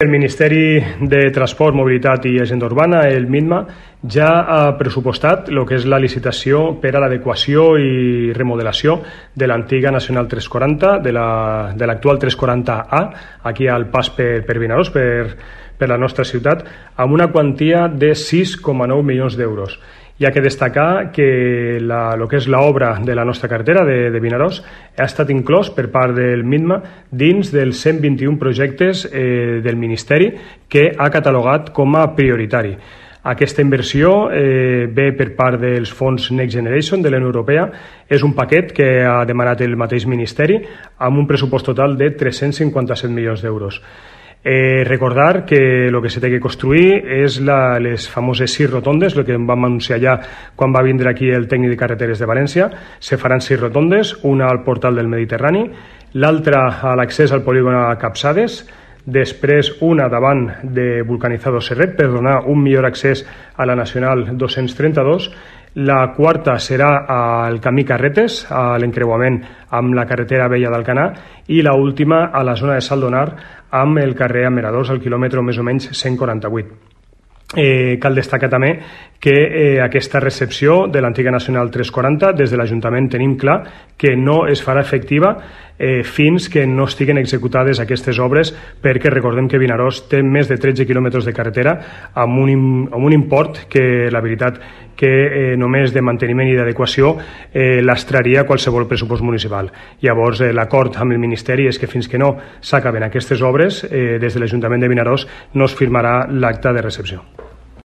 El Ministeri de Transport, Mobilitat i Agenda Urbana, el MINMA, ja ha pressupostat el que és la licitació per a l'adequació i remodelació de l'antiga Nacional 340, de l'actual 340A, aquí al pas per Vinaròs, per la nostra ciutat, amb una quantia de 6,9 milions d'euros. Hi ha que destacar que el que és l'obra de la nostra carretera de Vinaròs ha estat inclòs per part del MINMA dins dels 121 projectes del Ministeri que ha catalogat com a prioritari. Aquesta inversió ve per part dels fons Next Generation de la Unió Europea. És un paquet que ha demanat el mateix Ministeri amb un pressupost total de 357 milions d'euros. Recordar que el que s'ha de construir és les famoses 6 rotondes, el que vam anunciar ja quan va vindre aquí el tècnic de carreteres de València. Se faran 6 rotondes, una al portal del Mediterrani, l'altra a l'accés al polígon a Capçades, després una davant de Vulcanizado Serret per donar un millor accés a la Nacional 232, la quarta serà al camí Carretes, a l'encreuament amb la carretera vella d'Alcanar, i la última a la zona de Saldonar amb el carrer Ameradors al quilòmetre més o menys 148. Cal destacar també que aquesta recepció de l'antiga Nacional 340 des de l'Ajuntament tenim clar que no es farà efectiva fins que no estiguen executades aquestes obres, perquè recordem que Vinaròs té més de 13 quilòmetres de carretera amb un import que la veritat que només de manteniment i d'adequació lastraria qualsevol pressupost municipal. Llavors l'acord amb el Ministeri és que fins que no s'acaben aquestes obres des de l'Ajuntament de Vinaròs no es firmarà l'acta de recepció.